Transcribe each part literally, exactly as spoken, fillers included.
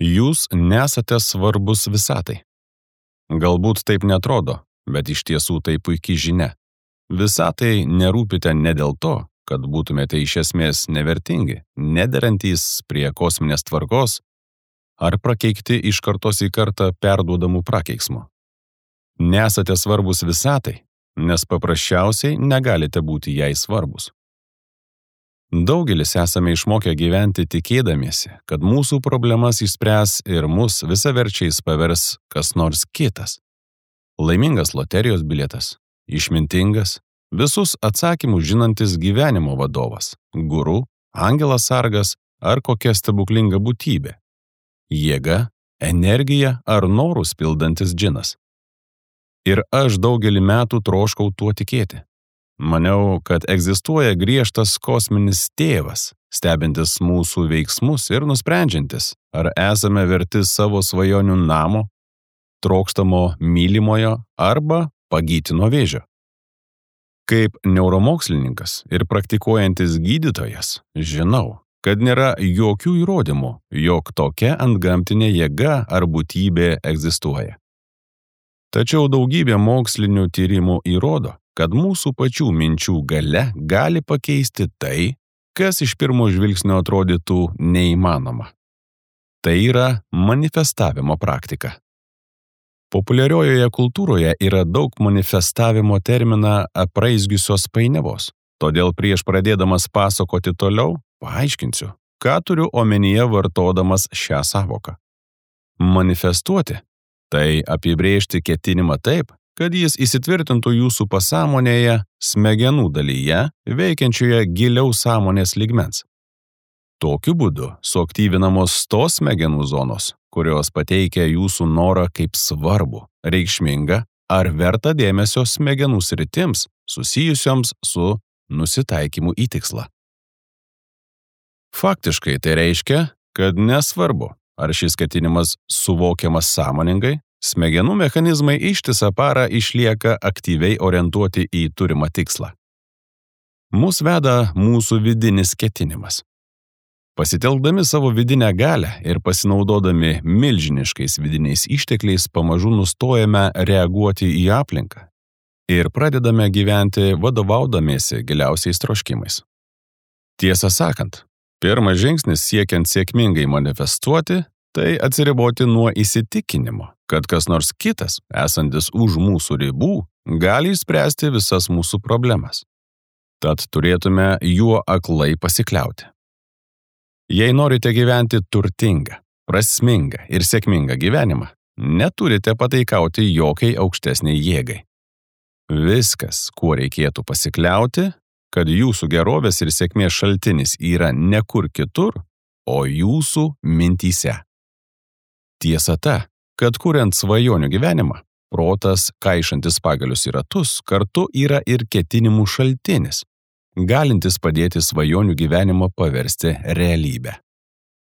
Jūs nesate svarbus visatai. Galbūt taip netrodo, bet iš tiesų tai puikiai žinia. Visatai nerūpite ne dėl to, kad būtumėte iš esmės nevertingi, nederantys prie kosminės tvarkos ar prakeikti iš kartos į kartą perduodamų prakeiksmų. Nesate svarbus visatai, nes paprasčiausiai negalite būti jai svarbus. Daugelis esame išmokę gyventi tikėdamiesi, kad mūsų problemas išspręs ir mus visaverčiais pavers kas nors kitas. Laimingas loterijos bilietas, išmintingas, visus atsakymus žinantis gyvenimo vadovas, guru, angelas sargas ar kokia stebuklinga būtybė, jėga, energija ar norus pildantis džinas. Ir aš daugelį metų troškau tuo tikėti. Maniau, kad egzistuoja griežtas kosminis tėvas, stebintis mūsų veiksmus ir nusprendžiantis, ar esame verti savo svajonių namo, trokštamo mylimojo arba pagyti nuo vėžio. Kaip neuromokslininkas ir praktikuojantis gydytojas, žinau, kad nėra jokių įrodymų, jog tokia antgamtinė jėga ar būtybė egzistuoja. Tačiau daugybė mokslinių tyrimų įrodo, kad mūsų pačių minčių galia gali pakeisti tai, kas iš pirmo žvilgsnio atrodytų neįmanoma. Tai yra manifestavimo praktika. Populiariojoje kultūroje yra daug manifestavimo terminą apraizgiusios painiavos, todėl prieš pradėdamas pasakoti toliau, paaiškinsiu, ką turiu omenyje vartodamas šią sąvoką. Manifestuoti – tai apibrėžti ketinimą taip, kad jis įsitvirtintų jūsų pasąmonėje, smegenų dalyje, veikiančioje giliau sąmonės lygmens. Tokiu būdu suaktyvinamos tos smegenų zonos, kurios pateikia jūsų norą kaip svarbu, reikšmingą ar vertą dėmesio smegenų sritims susijusioms su nusitaikymu į tikslą. Faktiškai tai reiškia, kad nesvarbu, ar šis ketinimas suvokiamas sąmoningai, smegenų mechanizmai ištisą parą išlieka aktyviai orientuoti į turimą tikslą. Mus veda mūsų vidinis ketinimas. Pasitelkdami savo vidinę galią ir pasinaudodami milžiniškais vidiniais ištekliais pamažu nustojame reaguoti į aplinką ir pradedame gyventi vadovaudamiesi giliausiais troškimais. Tiesą sakant, pirmas žingsnis siekiant sėkmingai manifestuoti – tai atsiriboti nuo įsitikinimo, kad kas nors kitas, esantis už mūsų ribų, gali išspręsti visas mūsų problemas. Tad turėtume juo aklai pasikliauti. Jei norite gyventi turtingą, prasmingą ir sėkmingą gyvenimą, neturite pataikauti jokiai aukštesniai jėgai. Viskas, kuo reikėtų pasikliauti, kad jūsų gerovės ir sėkmės šaltinis yra ne kur kitur, o jūsų mintyse. Tiesa ta, kad kuriant svajonių gyvenimą, protas, kaišantis pagalius į ratus, kartu yra ir ketinimų šaltinis, galintis padėti svajonių gyvenimą paversti realybę.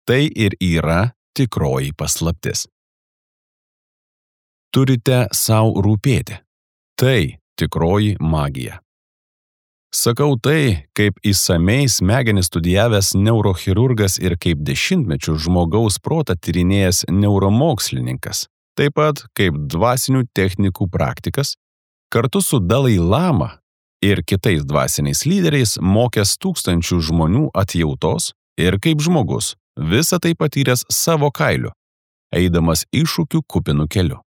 Tai ir yra tikroji paslaptis. Turite sau rūpėti. Tai tikroji magija. Sakau tai, kaip įsamei smegenis studijavęs neurochirurgas ir kaip dešimtmečių žmogaus protą tyrinėjęs neuromokslininkas, taip pat kaip dvasinių technikų praktikas, kartu su Dalai Lama ir kitais dvasiniais lyderiais mokęs tūkstančių žmonių atjautos ir kaip žmogus, visą tai patyręs savo kailiu, eidamas iššūkių kupinų keliu.